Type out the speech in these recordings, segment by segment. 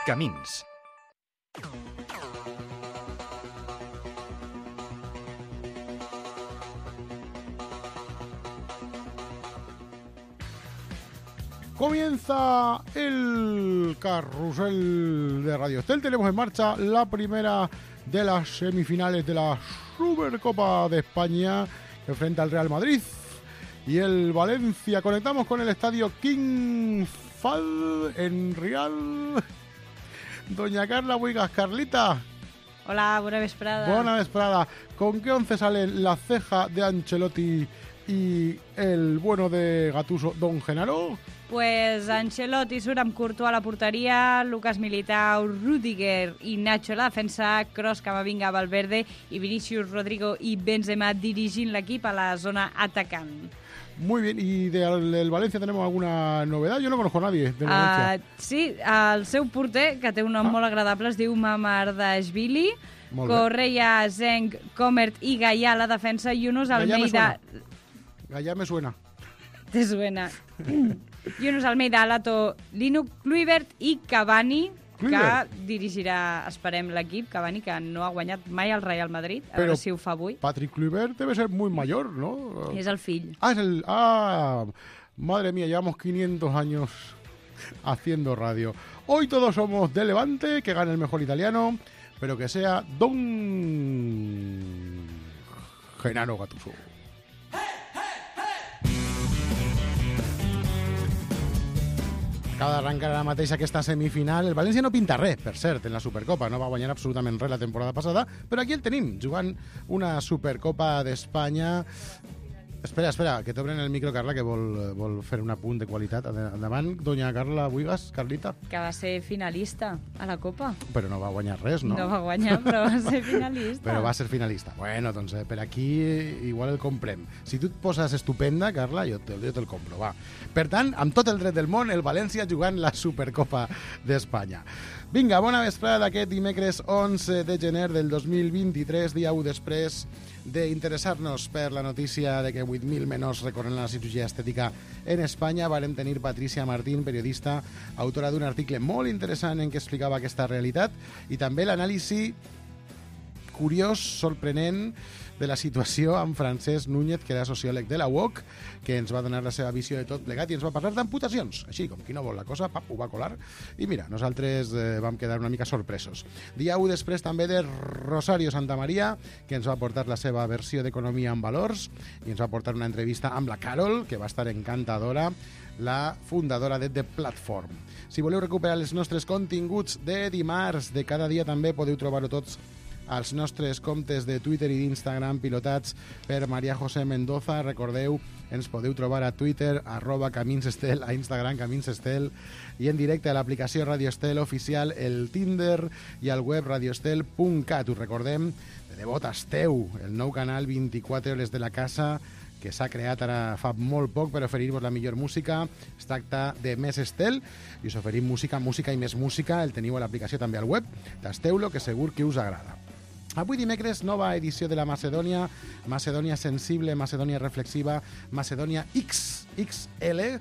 Camins. Comienza el carrusel de Radio Estel. Tenemos en marcha la primera de las semifinales de la Supercopa de España que enfrenta al Real Madrid y el Valencia. Conectamos con el estadio King Fahd en Rial. Doña Carla Buigas. Carlita. Hola, bona vesprada. Bona vesprada. ¿Con qué once salen la ceja de Ancelotti y el bueno de Gattuso, Don Genaro? Pues Ancelotti surt amb Courtois a la porteria, Lucas Militao, Rüdiger i Nacho a la defensa, Kroos, Camavinga, Valverde i Vinicius, Rodrigo y Benzema dirigint l'equip a la zona atacant. Muy bien, ¿y del Valencia tenemos alguna novedad? Yo no conozco a nadie del Valencia. Sí, el seu porter, que té un nom molt agradable, es diu Mamardashvili, Correa, Zeng, Comert i Gallà a la defensa i Yunus Almeida... Gallà me suena. Te suena. Yunus Almeida, Alato, Lino Kluivert i Cavani, que dirigirà, esperem, l'equip. Cavani, que no ha guanyat mai el Real Madrid, a veure si ho fa avui. Patrick Kluivert debe ser muy mayor, ¿no? És el fill. Madre mía, llevamos 500 años haciendo radio. Hoy todos somos de Levante, que gane el mejor italiano, pero que sea Don Genaro Gattuso. Acaba d'arrencar ara mateix aquesta semifinal. El València no pinta res, per cert, en la Supercopa. No va guanyar absolutament res la temporada passada, però aquí el tenim, jugant una Supercopa d'Espanya. Espera, que t'obren el micro, Carla, que vol fer un apunt de qualitat. Endavant, doña Carla Buigas, Carlita. Que va ser finalista a la Copa. Però no va guanyar res, no? No va guanyar, però va ser finalista. Però va ser finalista. Bueno, doncs per aquí igual el comprem. Si tu et poses estupenda, Carla, jo te'l compro, va. Per tant, amb tot el dret del món, el València jugant la Supercopa d'Espanya. Vinga, bona vesprada d'aquest dimecres 11 de gener del 2023, dia 1 després d'interessar-nos per la notícia de que 8.000 menors recorren a la cirurgia estètica en Espanya. Vàrem tenir Patricia Martín, periodista, autora d'un article molt interessant en què explicava aquesta realitat, i també l'anàlisi curiós, sorprenent, de la situació amb Francesc Núñez, que era sociòleg de la UOC, que ens va donar la seva visió de tot plegat i ens va parlar d'amputacions. Així, com qui no vol la cosa, ho va colar. I mira, nosaltres vam quedar una mica sorpresos. Dia 1 després també de Rosario Santamaría, que ens va portar la seva versió d'Economia en Valors i ens va portar una entrevista amb la Carol, que va estar encantadora, la fundadora de The Platform. Si voleu recuperar els nostres continguts de dimarts, de cada dia, també podeu trobar-ho tots als nostres comptes de Twitter i d'Instagram pilotats per María José Mendoza. Recordeu, ens podeu trobar a Twitter, @CaminsEstel, a Instagram CaminsEstel, i en directe a l'aplicació Radio Estel oficial, el Tinder i al web radioestel.cat. Us recordem, de debò tasteu el nou canal 24 hores de la casa, que s'ha creat ara fa molt poc per oferir-vos la millor música. Es tracta de Més Estel i us oferim música i més música. El teniu a l'aplicació també al web. Tasteu-lo, que segur que us agrada. Avui dimecres, nova edició de la Macedònia, Macedònia sensible, Macedònia reflexiva, Macedònia XXL,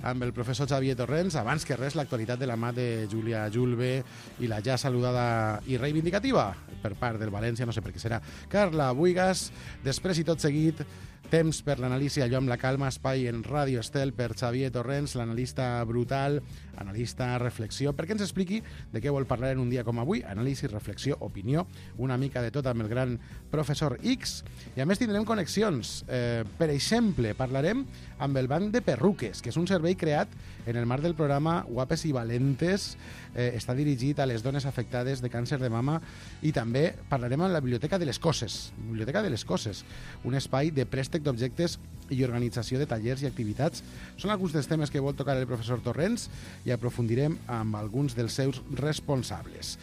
amb el professor Xavier Torrents. Abans que res, l'actualitat de la mà de Júlia Julve i la ja saludada i reivindicativa per part del València, no sé per què serà, Carla Buigas. Després i tot seguit, temps per l'anàlisi allò amb la calma, espai en Ràdio Estel per Xavier Torrents, l'analista brutal, analista reflexió, perquè ens expliqui de què vol parlar en un dia com avui. Anàlisi, reflexió, opinió, una mica de tot amb el gran professor X. I a més tindrem connexions. Per exemple, parlarem amb el Banc de Perruques, que és un servei creat en el marc del programa Guapes i Valentes. Està dirigit a les dones afectades de càncer de mama, i també parlarem amb la Biblioteca de les Coses. Biblioteca de les Coses, un espai de préstec d'objectes i organització de tallers i activitats. Són alguns dels temes que vol tocar el professor Torrents i aprofundirem amb alguns dels seus responsables.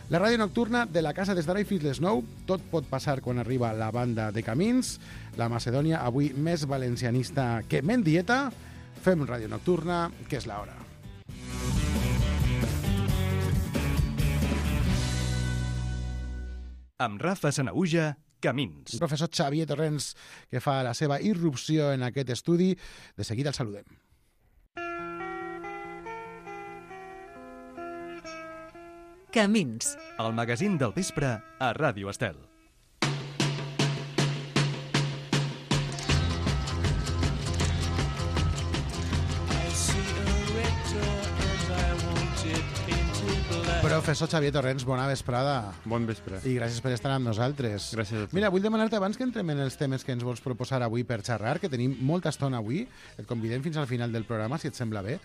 La ràdio nocturna de la casa des d'ara i fins les 9. Tot pot passar quan arriba la banda de Camins. La Macedònia avui més valencianista que Mendieta. Fem ràdio nocturna, que és l'hora. Amb Rafa Sanaüja, Camins. El professor Xavier Torrents, que fa la seva irrupció en aquest estudi. De seguida el saludem. Camins. El magazín del vespre a Ràdio Estel. Professor Xavier Torrents, bona vesprada. Bon vespre. I gràcies per estar amb nosaltres. Gràcies a tu. Mira, vull demanar-te, abans que entrem en els temes que ens vols proposar avui per xerrar, que tenim molta estona avui, et convidem fins al final del programa, si et sembla bé.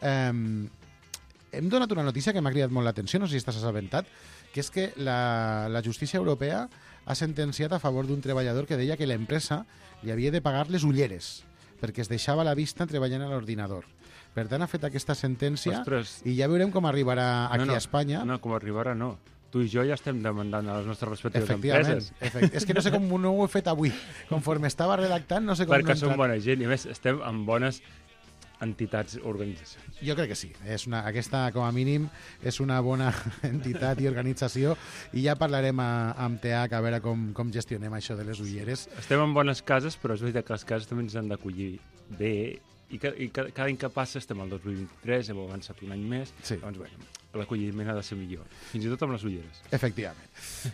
Hem donat una notícia que m'ha cridat molt l'atenció, no sé si estàs assabentat, que és que la justícia europea ha sentenciat a favor d'un treballador que deia que l'empresa li havia de pagar les ulleres perquè es deixava la vista treballant a l'ordinador. Per tant, ha fet aquesta sentència. Ostres. I ja veurem com arribarà aquí a Espanya. No, com arribarà no. Tu i jo ja estem demandant a les nostres respectives Efectivament. empreses. És que no sé com no ho he fet avui. Conforme estava redactant, no sé com Perquè no he som entrat. bona gent i a més estem amb bones entitats, organitzacions. Jo crec que sí. Aquesta, com a mínim, és una bona entitat i organització i ja parlarem amb TH a veure com gestionem això de les ulleres. Estem en bones cases, però és veritat que les cases també ens han d'acollir bé i cada any que passa estem al 2023, hem avançat un any més, Sí. doncs bueno, l'acolliment ha de ser millor, fins i tot amb les ulleres. Efectivament.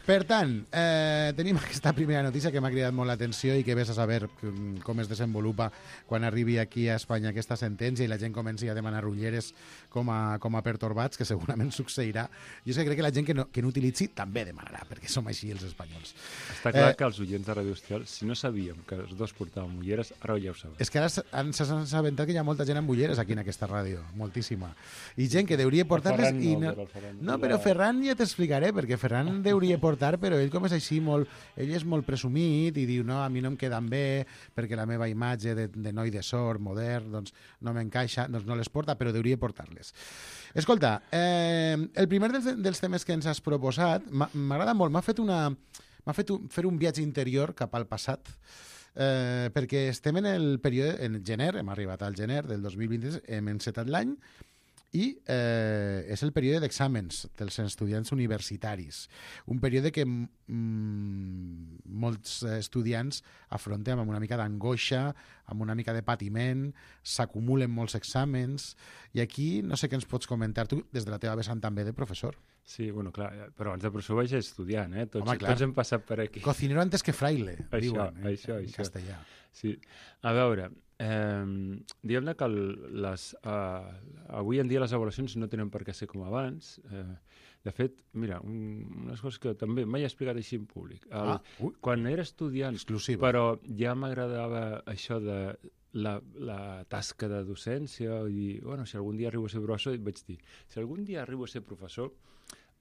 Per tant, tenim aquesta primera notícia que m'ha cridat molt l'atenció i que vés a saber com es desenvolupa quan arribi aquí a Espanya aquesta sentència i la gent comenci a demanar ulleres com a pertorbats, que segurament succeirà. Jo és que crec que la gent que no utilitzi també demanarà, perquè som així els espanyols. Està clar que els oients de Radio Estel, si no sabíem que els dos portàvem ulleres, ara ja ho sabem. És que ara s'han assabentat que hi ha molta gent amb ulleres aquí en aquesta ràdio, moltíssima. I gent que deuria portar-les i no... No, però Ferran ja t'explicaré, perquè Ferran deuria portar, però ell com és així molt... Ell és molt presumit i diu, no, a mi no em queden bé perquè la meva imatge de noi de sort, modern, doncs no m'encaixa, doncs no les porta, però deuria portar-les. Escolta, el primer dels temes que ens has proposat m'agrada molt, m'ha fet fer un viatge interior cap al passat, perquè estem en el període, en gener, hem arribat al gener del 2023, hem encetat l'any, i és el període d'exàmens dels estudiants universitaris. Un període que molts estudiants afrontem amb una mica d'angoixa, amb una mica de patiment, s'acumulen molts exàmens, i aquí no sé què ens pots comentar tu des de la teva vessant també de professor. Sí, bueno, clar, però abans de professor vaig estudiant, Tots, Home, clar. tots hem passat per aquí. Cocinero antes que fraile, Això, diuen això. en castellà. Sí. A veure, diguem-ne que avui en dia les avaluacions no tenen per què ser com abans. De fet, mira, unes coses que també mai he explicat així en públic. Quan era estudiant, Exclusiva. però ja m'agradava això de la tasca de docència i, bueno, si algun dia arribo a ser professor, vaig dir, si algun dia arribo a ser professor,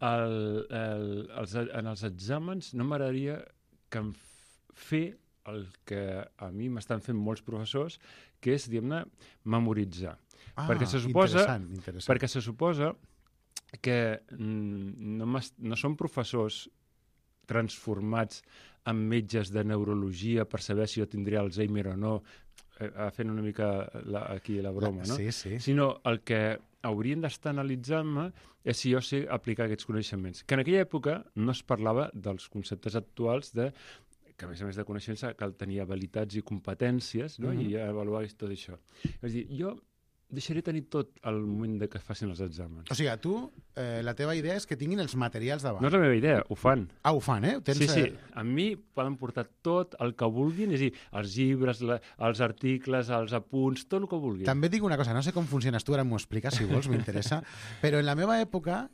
en els exàmens no m'agradaria que em fer el que a mi m'estan fent molts professors, que és, diguem-ne, memoritzar. Perquè se suposa, interessant. perquè se suposa que no són professors transformats en metges de neurologia per saber si jo tindré Alzheimer o no, fent una mica aquí la broma, no? Sí, sí. Sinó el que haurien d'estar analitzant-me és si jo sé aplicar aquests coneixements. Que en aquella època no es parlava dels conceptes actuals que a més de coneixements cal tenir habilitats i competències, no? I avaluar tot això. És a dir, jo deixaré tenir tot al moment de que facin els exàmens. O sigui, tu, la teva idea és que tinguin els materials davant. No és la meva idea, ho fan. Ho fan, Sí. A mi poden portar tot el que vulguin, és a dir, els llibres, els articles, els apunts, tot el que vulguin. També et dic una cosa, no sé com funciones tu, ara m'ho expliques, si vols, m'interessa, però en la meva època,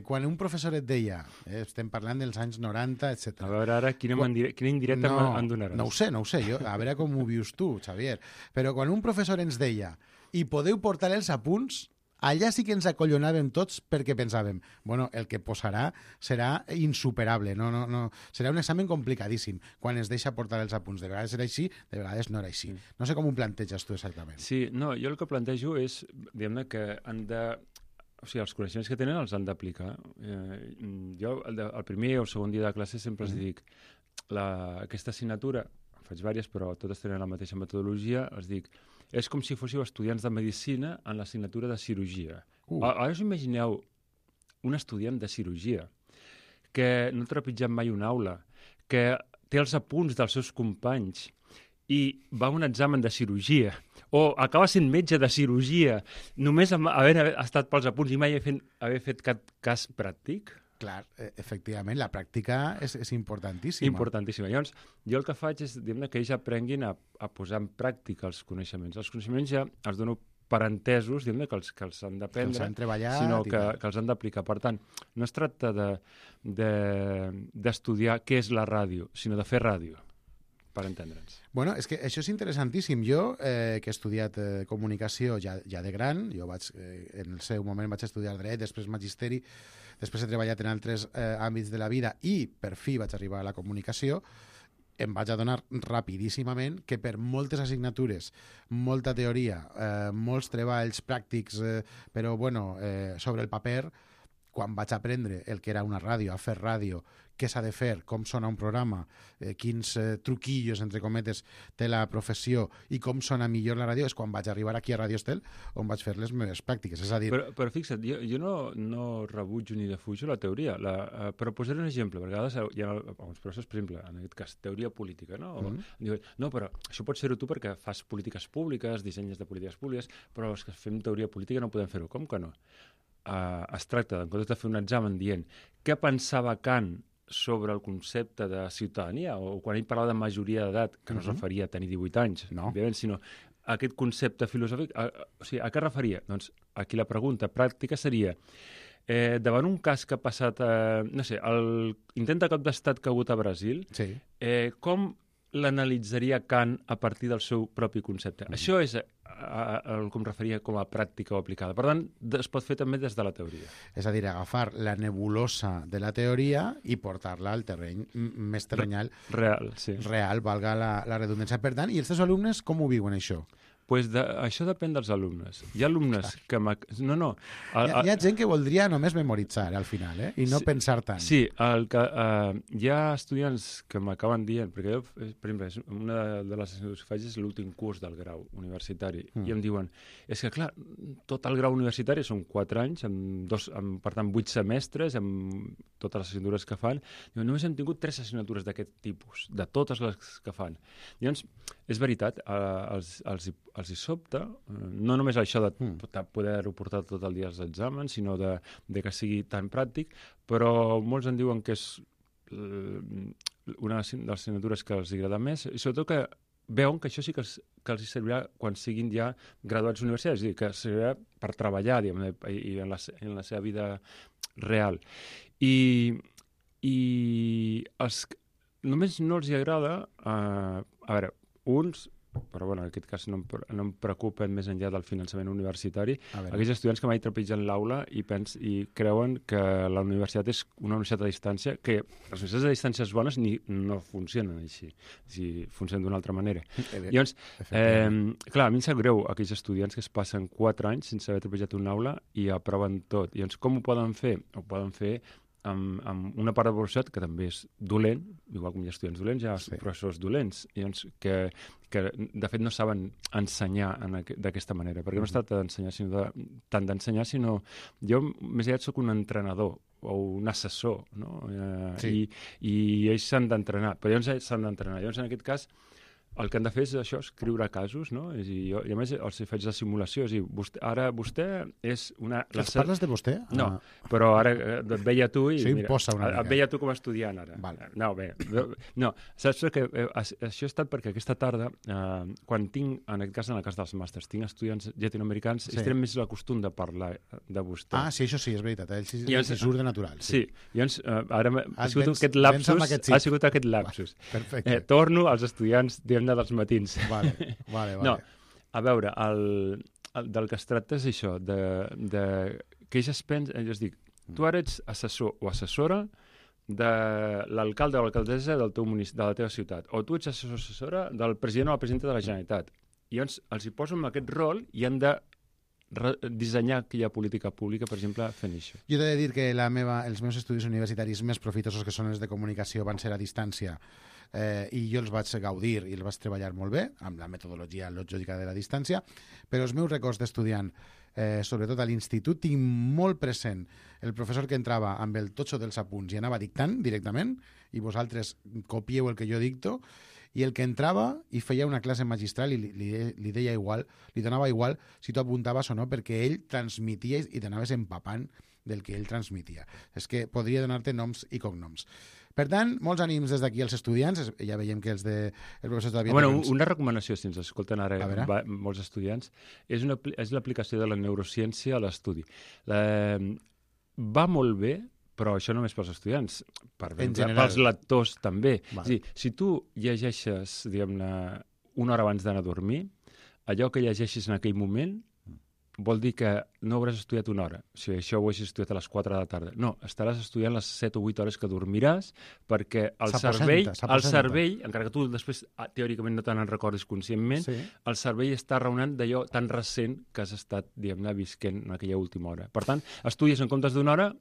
quan un professor et deia, estem parlant dels anys 90, etc. A veure ara quina indirecta em donaràs. No ho sé, a veure com ho vius tu, Xavier. Però quan un professor ens deia i podeu portar els apunts, allà sí que ens acollonàvem tots perquè pensàvem, bueno, el que posarà serà insuperable, no, serà un examen complicadíssim quan es deixa portar els apunts. De vegades era així, de vegades no era així. No sé com ho planteges tu exactament. Sí, no, jo el que plantejo és, diguem-ne, que han de... O sigui, els coneixements que tenen els han d'aplicar. Jo, el primer o el segon dia de classe sempre els dic, aquesta assignatura, en faig diverses, però totes tenen la mateixa metodologia, els dic, és com si fóssiu estudiants de medicina en l'assignatura de cirurgia. Ara us imagineu un estudiant de cirurgia que no ha trepitjat mai una aula, que té els apunts dels seus companys i va a un examen de cirurgia, o acaba sent metge de cirurgia, només amb haver estat pels apunts i mai haver fet cap cas pràctic. Clar, efectivament, la pràctica és importantíssima. Importantíssima. Llavors, jo el que faig és que ells aprenguin a posar en pràctica els coneixements. Els coneixements ja els dono per entesos, que els han d'aprendre, que els han treballat, sinó que els han d'aplicar. Per tant, no es tracta d'estudiar què és la ràdio, sinó de fer ràdio, per entendre'ns. Bueno, és que això és interessantíssim. Jo, que he estudiat comunicació ja de gran, en el seu moment vaig estudiar dret, després magisteri, després he treballat en altres àmbits de la vida i per fi vaig arribar a la comunicació, em vaig adonar rapidíssimament que per moltes assignatures, molta teoria, molts treballs pràctics, però bueno, sobre el paper, quan vaig aprendre el que era una ràdio, a fer ràdio, què s'ha de fer, com sona un programa, quins truquillos, entre cometes, té la professió i com sona millor la ràdio, és quan vaig arribar aquí a Radio Estel, on vaig fer les meves pràctiques. És a dir... Però fixa't, jo no rebutjo ni defujo la teoria, però posaré un exemple, perquè a vegades hi ha alguns professors, per exemple, en aquest cas, teoria política, no? Diuen, no, però això pots fer-ho tu perquè fas polítiques públiques, dissenyes de polítiques públiques, però els que fem teoria política no podem fer-ho. Com que no? Es tracta, en comptes de fer un examen dient què pensava Kant sobre el concepte de ciutadania, o quan ell parlava de majoria d'edat, que no es referia a tenir 18 anys, òbviament, sinó aquest concepte filosòfic, o sigui, a què referia? Doncs aquí la pregunta pràctica seria, davant un cas que ha passat, no sé, l'intent de cop d'estat que ha hagut a Brasil, sí. Com l'analitzaria Kant a partir del seu propi concepte? Això és el que em referia com a pràctica o aplicada. Per tant, es pot fer també des de la teoria. És a dir, agafar la nebulosa de la teoria i portar-la al terreny més terrenal. Real, sí. Real, valga la redundància. Per tant, i els teus alumnes com ho viuen, això? Pues això depèn dels alumnes. Hi ha alumnes que... No. Hi ha gent que voldria només memoritzar al final, i no pensar tant. Sí, hi ha estudiants que m'acaben dient, perquè jo, per exemple, una de les assignatures que faig és l'últim curs del grau universitari, i em diuen, és que clar, tot el grau universitari són 4 anys, per tant 8 semestres, amb totes les assignatures que fan, diuen, només hem tingut 3 assignatures d'aquest tipus, de totes les que fan. Llavors, és veritat, els hi sobta, no només això de poder-ho portar tot el dia als exàmens, sinó de que sigui tan pràctic, però molts en diuen que és una de les assignatures que els agrada més, i sobretot que veuen que això sí que els servirà quan siguin ja graduats universitaris, és a dir, que servirà per treballar, diguem, i en la seva vida real. I només no els hi agrada, a veure, uns, però bueno, en aquest cas no em preocupen més enllà del finançament universitari, aquells estudiants que mai trepitgen l'aula i creuen que la universitat és una universitat a distància, que les universitats a distàncies bones no funcionen així, funcionen d'una altra manera. Llavors, clar, a mi em sap greu aquells estudiants que es passen 4 anys sense haver trepitjat una aula i aproven tot. Llavors, com ho poden fer? Ho poden fer amb una part de professorat que també és dolent, igual com hi ha estudiants dolents, hi ha professors dolents, que de fet no saben ensenyar d'aquesta manera, perquè no es tracta d'ensenyar, tant d'ensenyar, sinó jo més aviat soc un entrenador o un assessor, no? I ells s'han d'entrenar, però llavors s'han d'entrenar. Llavors, en aquest cas, el que han de fer és això, escriure casos, no? I a més els faig la simulació, és a dir, ara vostè és una... Els parles de vostè? No, però ara et veia tu i... Això imposa una mica. Et veia tu com a estudiant ara. No, bé, no, saps que això ha estat perquè aquesta tarda, quan tinc, en aquest cas, en el cas dels màsters, tinc estudiants llatinoamericans, ells tenen més el costum de parlar de vostè. Ah, sí, això sí, és veritat, ells surt de natural. Sí, llavors ara ha sigut aquest lapsus. Perfecte. Torno als estudiants, diguem-ne, dels matins. Vale. No, a veure, del que es tracta és això, que ells es pensen, jo dic, tu ara ets assessor o assessora de l'alcalde o l'alcaldessa de la teva ciutat, o tu ets assessor o assessora del president o la presidenta de la Generalitat. I llavors els hi posen en aquest rol i han de dissenyar aquella política pública, per exemple, fent això. Jo t'he de dir que els meus estudis universitaris més profitosos, que són els de comunicació, van ser a distància, i jo els vaig gaudir i els vaig treballar molt bé, amb la metodologia lògica de la distància, però els meus records d'estudiant, sobretot a l'institut, tinc molt present el professor que entrava amb el totxo dels apunts i anava dictant directament, i vosaltres copieu el que jo dicto, i el que entrava i feia una classe magistral i li deia igual, li donava igual si tu apuntaves o no, perquè ell transmitia i t'anaves empapant del que ell transmitia. És que podria donar-te noms i cognoms. Per tant, molts ànims des d'aquí als estudiants. Ja veiem que els professors de la Bueno, una recomanació, si ens escolten ara molts estudiants, és l'aplicació de la neurociència a l'estudi. Va molt bé, però això només pels estudiants, pels lectors també. És a dir, si tu llegeixes, diguem-ne, una hora abans d'anar a dormir, allò que llegeixis en aquell moment vol dir que no hauràs estudiat una hora. Si això ho haguessis estudiat a les 4 de la tarda. No, estaràs estudiant les 7 o 8 hores que dormiràs perquè el cervell, encara que tu després teòricament no te n'en recordis conscientment, el cervell està raonant d'allò tan recent que has estat, diguem-ne, visquent en aquella última hora. Per tant, estudies en comptes d'una hora,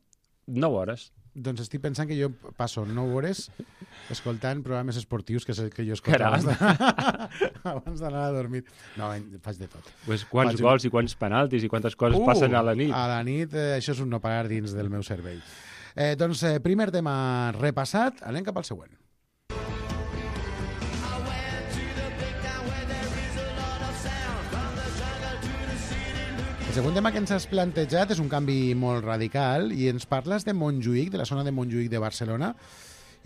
9 hores. Doncs estic pensant que jo passo 9 hores escoltant programes esportius que jo escolto abans d'anar a dormir. No, faig de tot. Pues quants gols i quants penaltis i quantes coses passen a la nit. A la nit això és un no parar dins del meu cervell. Doncs primer tema repassat, anem cap al següent. El segon tema que ens has plantejat és un canvi molt radical i ens parles de Montjuïc, de la zona de Montjuïc de Barcelona,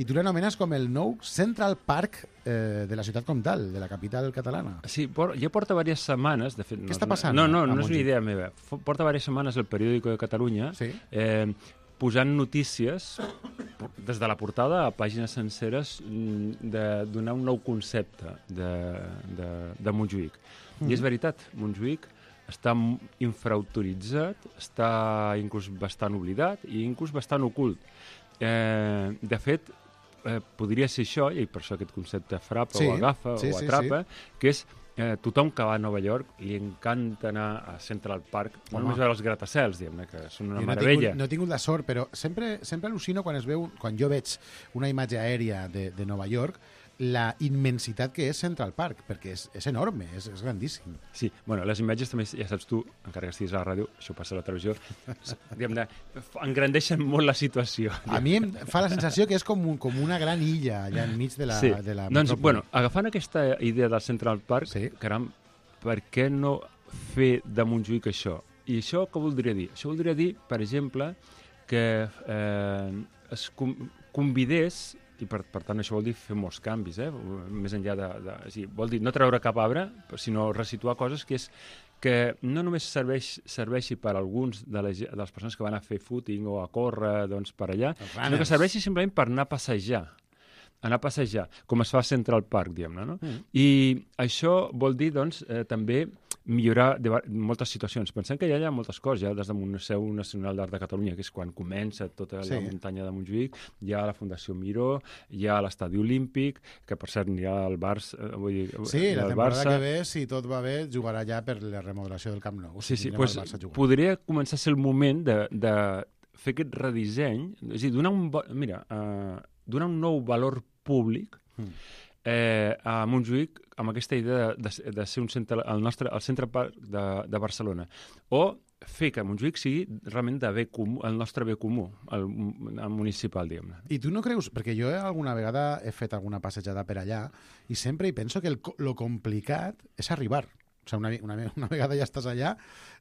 i tu l'anomenes com el nou Central Park de la ciutat comtal, de la capital catalana. Sí, ja porta diverses setmanes... De fet, què està passant? No és una idea meva. Porta diverses setmanes el Periódico de Catalunya posant notícies des de la portada a pàgines senceres de donar un nou concepte de Montjuïc. I és veritat, Montjuïc està infraautoritzat, està inclús bastant oblidat i inclús bastant ocult. De fet, podria ser això, i per això aquest concepte frapa o agafa o atrapa, que és tothom que va a Nova York li encanta anar a Central Park, no només veure els gratacels, diguem-ne, que són una meravella. No he tingut la sort, però sempre al·lucino quan jo veig una imatge aèria de Nova York, la immensitat que és Central Park, perquè és enorme, és grandíssim. Sí, bueno, les imatges també, ja saps tu, encara que estiguis a la ràdio, això passa a la televisió, engrandeixen molt la situació. A mi em fa la sensació que és com una gran illa allà enmig de la metròpoli. Doncs, bueno, agafant aquesta idea del Central Park, caram, per què no fer de Montjuïc això? I això què voldria dir? Això voldria dir, per exemple, que es convidés, i per tant això vol dir fer molts canvis, més enllà vol dir no treure cap arbre, sinó resituar coses que no només serveixi per a alguns de les persones que van a fer footing o a córrer per allà, sinó que serveixi simplement per anar a passejar, com es fa a Central Park, diguem-ne, no? I això vol dir, doncs, també millorar moltes situacions. Pensem que ja hi ha moltes coses, ja des del Museu Nacional d'Art de Catalunya, que és quan comença tota la muntanya de Montjuïc, hi ha la Fundació Miró, hi ha l'Estadi Olímpic, que per cert n'hi ha el Barça... Sí, la temporada que ve, si tot va bé, jugarà ja per la remodelació del Camp Nou. Sí, doncs podria començar a ser el moment de fer aquest redisseny, és a dir, donar un nou valor públic a Montjuïc amb aquesta idea de ser el centre parc de Barcelona, o fer que Montjuïc sigui realment el nostre bé comú, el municipal, diguem-ne. I tu no creus, perquè jo alguna vegada he fet alguna passejada per allà i sempre hi penso que lo complicat és arribar. O sigui, una vegada ja estàs allà,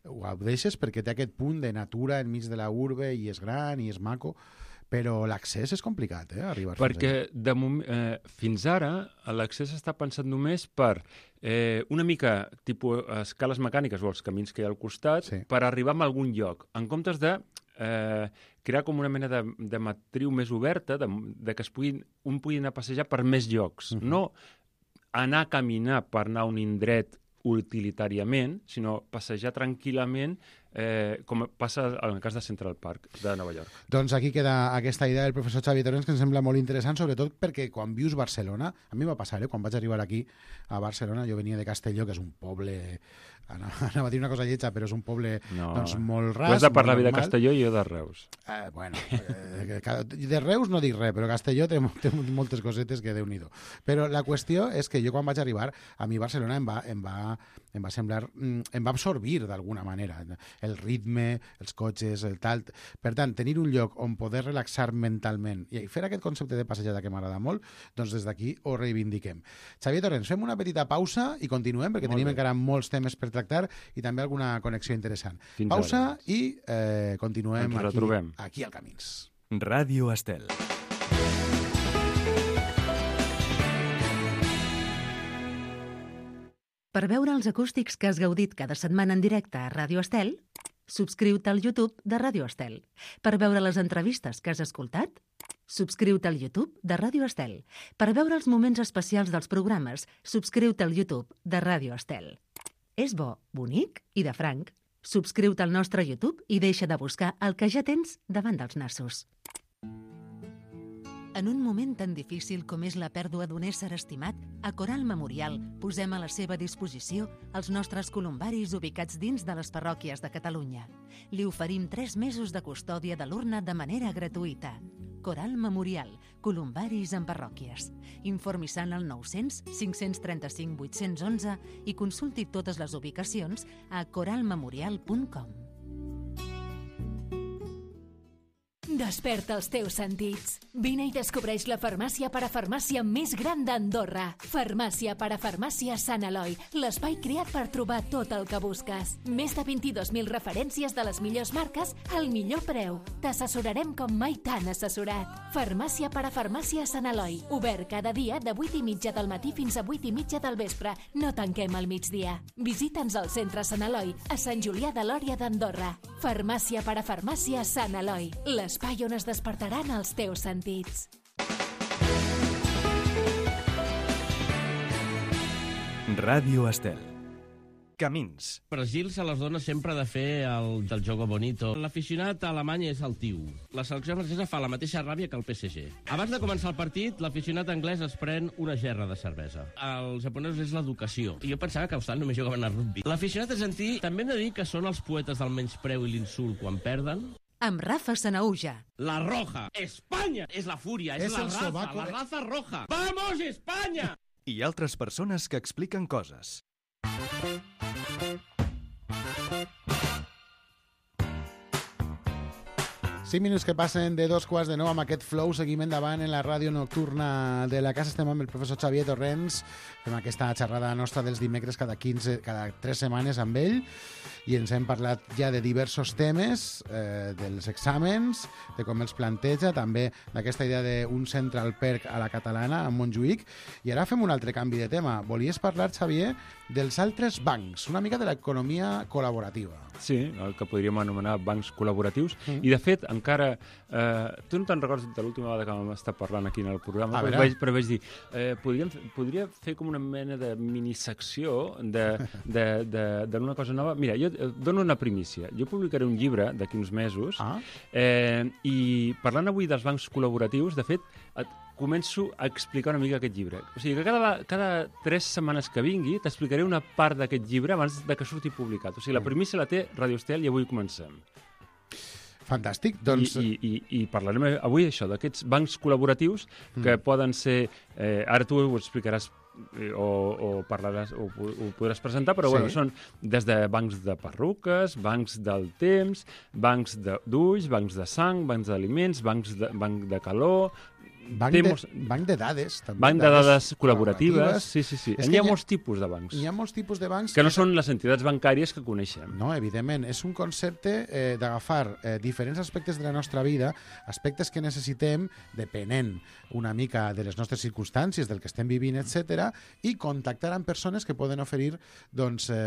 ho deixes perquè té aquest punt de natura enmig de la urbe i és gran i és maco, però l'accés és complicat, arribar fins allà. Perquè fins ara l'accés està pensat només per una mica tipus escales mecàniques o els camins que hi ha al costat per arribar a algun lloc, en comptes de crear com una mena de matriu més oberta, de que un pugui anar a passejar per més llocs. No anar a caminar per anar a un indret utilitàriament, sinó passejar tranquil·lament com passa en el cas de Central Park de Nova York. Doncs aquí queda aquesta idea del professor Xavi Torrents que em sembla molt interessant, sobretot perquè quan vius Barcelona, a mi va passar, quan vaig arribar aquí a Barcelona, jo venia de Castelló, que és un poble, anava a dir una cosa lletja, però és un poble molt ras. Tu has de parlar bé de Castelló i jo de Reus. De Reus no dic res, però Castelló té moltes cosetes que Déu-n'hi-do. Però la qüestió és que jo quan vaig arribar, a mi Barcelona em va em va semblar, em va absorbir d'alguna manera, el ritme, els cotxes, el tal. Per tant, tenir un lloc on poder relaxar mentalment i fer aquest concepte de passejada que m'agrada molt, doncs des d'aquí ho reivindiquem. Xavier Torrents, fem una petita pausa i continuem, perquè tenim encara molts temes per tractar i també alguna connexió interessant. Pausa i continuem aquí al Camins. Ràdio Estel. Per veure els acústics que has gaudit cada setmana en directe a Ràdio Estel, subscriu-te al YouTube de Ràdio Estel. Per veure les entrevistes que has escoltat, subscriu-te al YouTube de Ràdio Estel. Per veure els moments especials dels programes, subscriu-te al YouTube de Ràdio Estel. És bo, bonic i de franc. Subscriu-te al nostre YouTube i deixa de buscar el que ja tens davant dels nassos. En un moment tan difícil com és la pèrdua d'un ésser estimat, a Coral Memorial posem a la seva disposició els nostres columbaris ubicats dins de les parròquies de Catalunya. Li oferim 3 mesos de custòdia de l'urna de manera gratuïta. Coral Memorial, columbaris en parròquies. Informi-se al 900 535 811 i consulti totes les ubicacions a coralmemorial.com. Desperta els teus sentits. Vine i descobreix la farmàcia parafarmàcia més gran d'Andorra. Farmàcia parafarmàcia Sant Eloi, l'espai creat per trobar tot el que busques. Més de 22.000 referències de les millors marques al millor preu. T'assessorarem com mai t'han assessorat. Farmàcia parafarmàcia Sant Eloi, obert cada dia de 8:30 del matí fins a 8:30 del vespre. No tanquem al migdia. Visita'ns al centre Sant Eloi, a Sant Julià de Lòria d'Andorra. Farmàcia parafarmàcia Sant Eloi, l'espai on es despertaran els teus sentits. Ràdio Estel. Camins. Per Gil se les dona sempre de fer el del jogo bonito. L'aficionat alemany és altiu. La selecció francesa fa la mateixa ràbia que el PSG. Abans de començar el partit, l'aficionat anglès es pren una gerra de cervesa. Els japonesos és l'educació. I jo pensava que a Austràlia només jugaven a rugby. L'aficionat argentí també hem de dir que són els poetes del menyspreu i l'insult quan perden. Amb Rafa Sanauja. La roja. Espanya és la fúria, és la raza, la raza roja. Vamos, Espanya! I altres persones que expliquen coses. 5 minuts que passen de 2:15 amb aquest flow. Seguim endavant en la ràdio nocturna de la casa. Estem amb el professor Xavier Torrents. Fem aquesta xerrada nostra dels dimecres cada 3 setmanes amb ell i ens hem parlat ja de diversos temes, dels exàmens, de com els planteja, també d'aquesta idea d'un Central Perk a la catalana, a Montjuïc. I ara fem un altre canvi de tema. Volies parlar, Xavier, dels altres bancs, una mica de l'economia col·laborativa. Sí, el que podríem anomenar bancs col·laboratius. I, de fet, encara... tu no te'n recordes de l'última vegada que vam estar parlant aquí en el programa? Però vaig dir, podria fer com una mena de minisecció d'una cosa nova. Mira, jo dono una primícia. Jo publicaré un llibre d'aquí uns mesos i parlant avui dels bancs col·laboratius, de fet, començo a explicar una mica aquest llibre. O sigui que cada 3 setmanes que vingui t'explicaré una part d'aquest llibre abans de que surti publicat. O sigui, la primícia la té Ràdio Estel i avui comencem. Fantàstic, doncs... I parlarem avui això, d'aquests bancs col·laboratius que poden ser... ara tu ho explicaràs o parlaràs o ho podràs presentar, però bueno, són des de bancs de perruques, bancs del temps, bancs d'ulls, bancs de sang, bancs d'aliments, banc de calor... Banc de dades, també. Banc de dades col·laboratives. Sí. Hi ha molts tipus de bancs. Hi ha molts tipus de bancs... Que no són les entitats bancàries que coneixem. No, evidentment. És un concepte d'agafar diferents aspectes de la nostra vida, aspectes que necessitem, depenent una mica de les nostres circumstàncies, del que estem vivint, etc., i contactar amb persones que poden oferir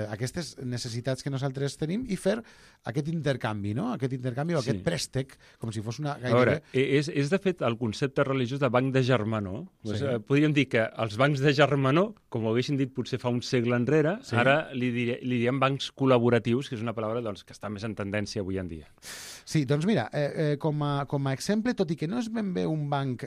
aquestes necessitats que nosaltres tenim i fer aquest intercanvi, no? Aquest intercanvi o aquest préstec, com si fos una... A veure, és de fet el concepte religiós de banc de germanor. Podríem dir que els bancs de germanor, com ho haguessin dit potser fa un segle enrere, ara li diem bancs col·laboratius, que és una paraula que està més en tendència avui en dia. Sí, doncs mira, com a exemple, tot i que no és ben bé un banc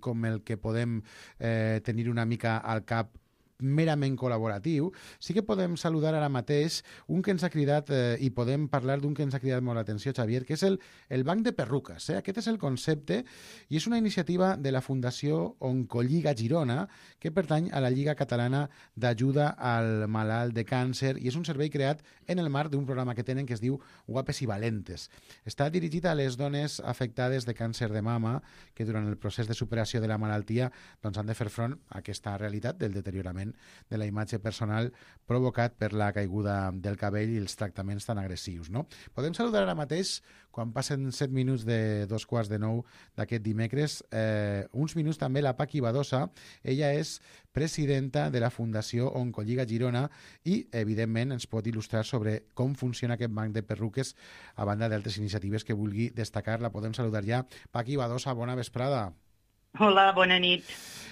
com el que podem tenir una mica al cap merament col·laboratiu, sí que podem saludar ara mateix un que ens ha cridat, i podem parlar d'un que ens ha cridat molt l'atenció, Xavier, que és el Banc de Perruques. Aquest és el concepte i és una iniciativa de la Fundació Oncolliga Girona que pertany a la Lliga Catalana d'Ajuda al Malalt de Càncer i és un servei creat en el marc d'un programa que tenen que es diu Guapes i Valentes. Està dirigit a les dones afectades de càncer de mama que durant el procés de superació de la malaltia doncs, han de fer front a aquesta realitat del deteriorament de la imatge personal provocat per la caiguda del cabell i els tractaments tan agressius. No? Podem saludar ara mateix, quan passen 7 minuts de 2:15 d'aquest dimecres, uns minuts també la Paqui Badosa. Ella és presidenta de la Fundació Oncolliga Girona i, evidentment, ens pot il·lustrar sobre com funciona aquest banc de perruques a banda d'altres iniciatives que vulgui destacar. La podem saludar ja. Paqui Badosa, bona vesprada. Hola, bona nit.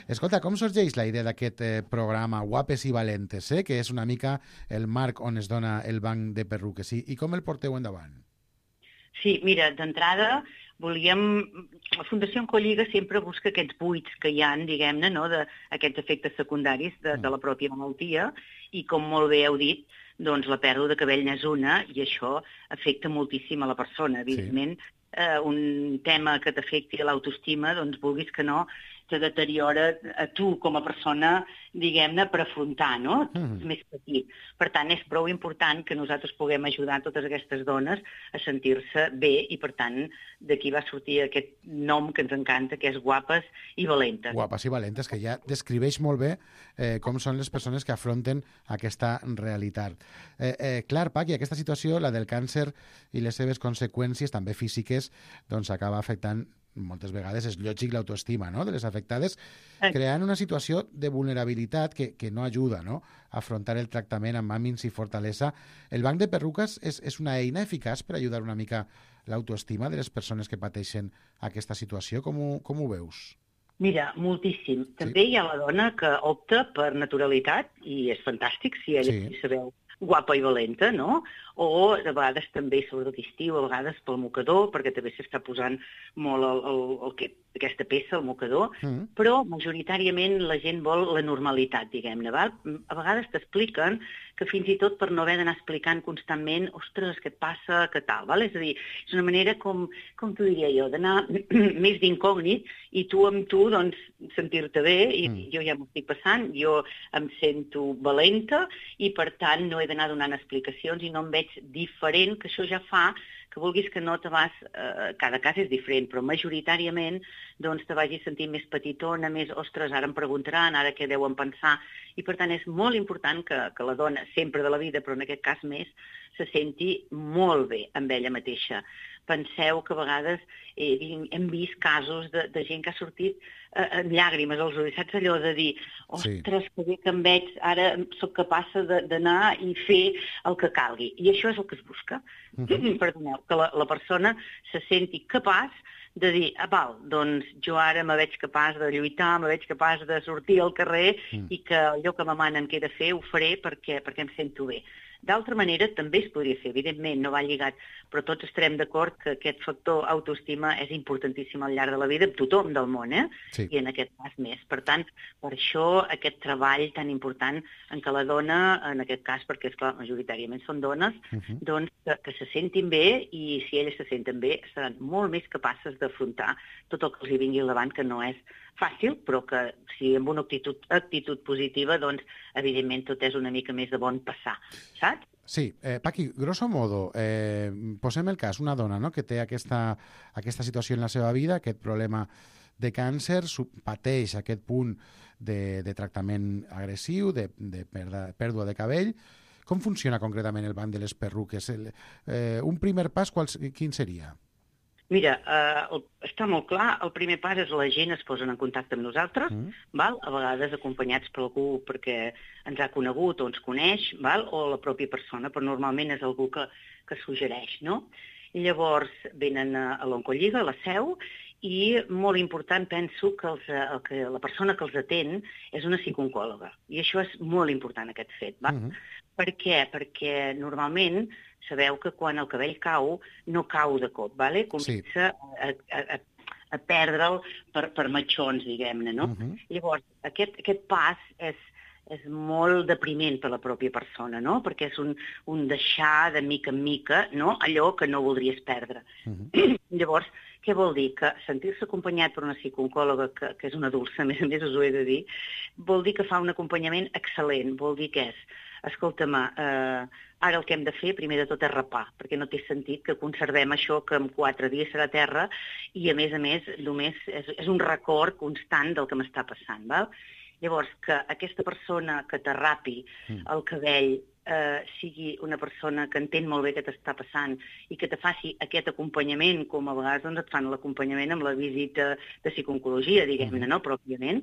Escolta, com sorgeix la idea d'aquest programa Guapes i Valentes, que és una mica el marc on es dona el banc de perruques, i com el porteu endavant? Sí, mira, d'entrada volíem... La Fundació Oncolliga sempre busca aquests buits que hi ha, diguem-ne, no?, d'aquests efectes secundaris de la pròpia malaltia, i com molt bé heu dit, doncs la pèrdua de cabell n'és una, i això afecta moltíssim a la persona, evidentment. Sí. Un tema que t'afecti a l'autoestima, doncs vulguis que no, te deteriora a tu com a persona, diguem-ne, per afrontar, no? Més petit. Per tant, és prou important que nosaltres puguem ajudar totes aquestes dones a sentir-se bé i, per tant, d'aquí va sortir aquest nom que ens encanta, que és Guapes i Valentes. Guapes i Valentes, que ja descriveix molt bé com són les persones que afronten aquesta realitat. Clar, Paqui, aquesta situació, la del càncer i les seves conseqüències, també físiques, doncs acaba afectant moltes vegades, és lògic, l'autoestima, no?, de les afectades, creant una situació de vulnerabilitat que no ajuda, no?, a afrontar el tractament amb ànims i fortalesa. El banc de perruques és una eina eficaç per ajudar una mica l'autoestima de les persones que pateixen aquesta situació. Com ho veus? Mira, moltíssim. També hi ha la dona que opta per naturalitat, i és fantàstic si ella sabeu guapa i valenta, no? O a vegades també, sobretot estiu, a vegades pel mocador, perquè també s'està posant molt aquesta peça, el mocador, però majoritàriament la gent vol la normalitat, diguem-ne. A vegades t'expliquen que fins i tot per no haver d'anar explicant constantment, ostres, què et passa, què tal, val? És a dir, és una manera com t'ho diria jo, d'anar més d'incògnit i tu amb tu, doncs, sentir-te bé, i jo ja m'ho estic passant, jo em sento valenta i, per tant, no he d'anar donant explicacions i no em veig diferent, que això ja fa que vulguis que no te vas... cada cas és diferent, però majoritàriament doncs te vagis sentint més petitona, més, ostres, ara em preguntaran, ara què deuen pensar, i per tant és molt important que la dona, sempre de la vida, però en aquest cas més, se senti molt bé amb ella mateixa. Penseu que a vegades hem vist casos de gent que ha sortit amb llàgrimes als ulls, saps allò de dir, ostres, que bé que em veig, ara sóc capaç d'anar i fer el que calgui. I això és el que es busca. Perdoneu, que la persona se senti capaç de dir, val, doncs jo ara me veig capaç de lluitar, me veig capaç de sortir al carrer i que allò que me manen que he de fer ho faré perquè em sento bé. D'altra manera, també es podria fer, evidentment, no va lligat, però tots estarem d'acord que aquest factor autoestima és importantíssim al llarg de la vida, amb tothom del món, i en aquest cas més. Per tant, per això aquest treball tan important en què la dona, en aquest cas, perquè, esclar, majoritàriament són dones, doncs que se sentin bé, i si elles se senten bé, seran molt més capaces d'afrontar tot el que els hi vingui al davant, que no és fàcil, però que si amb una actitud positiva, doncs, evidentment, tot és una mica més de bon passar, saps? Sí, Paqui, grosso modo, posem el cas, una dona, no?, que té aquesta situació en la seva vida, aquest problema de càncer, pateix aquest punt de tractament agressiu, de pèrdua de cabell. Com funciona concretament el banc de les perruques? Un primer pas, quin seria? Mira, està molt clar, el primer pas és la gent es posen en contacte amb nosaltres, val? A vegades acompanyats per algú perquè ens ha conegut o ens coneix, val? O la pròpia persona, però normalment és algú que suggereix, no? Llavors venen a l'Oncolliga, a la seu, i molt important, penso que la persona que els atén és una psicooncòloga. I això és molt important, aquest fet. Per què? Perquè normalment sabeu que quan el cabell cau, no cau de cop, comença a perdre'l per matxons, diguem-ne, no? Llavors, aquest pas és molt depriment per la pròpia persona, no? Perquè és un deixar de mica en mica, no? Allò que no voldries perdre. Llavors, què vol dir? Que sentir-se acompanyat per una psicooncòloga, que és una dolça, a més us ho he de dir, vol dir que fa un acompanyament excel·lent, vol dir que és, escolta-me, ara el que hem de fer, primer de tot, és rapar, perquè no té sentit que conservem això que en 4 dies serà terra i, a més, només és un record constant del que m'està passant, val? Llavors, que aquesta persona que t'arrapi el cabell sigui una persona que entén molt bé què t'està passant i que te faci aquest acompanyament, com a vegades doncs, et fan l'acompanyament amb la visita de psicooncologia, diguem-ne, no? Pròpiament.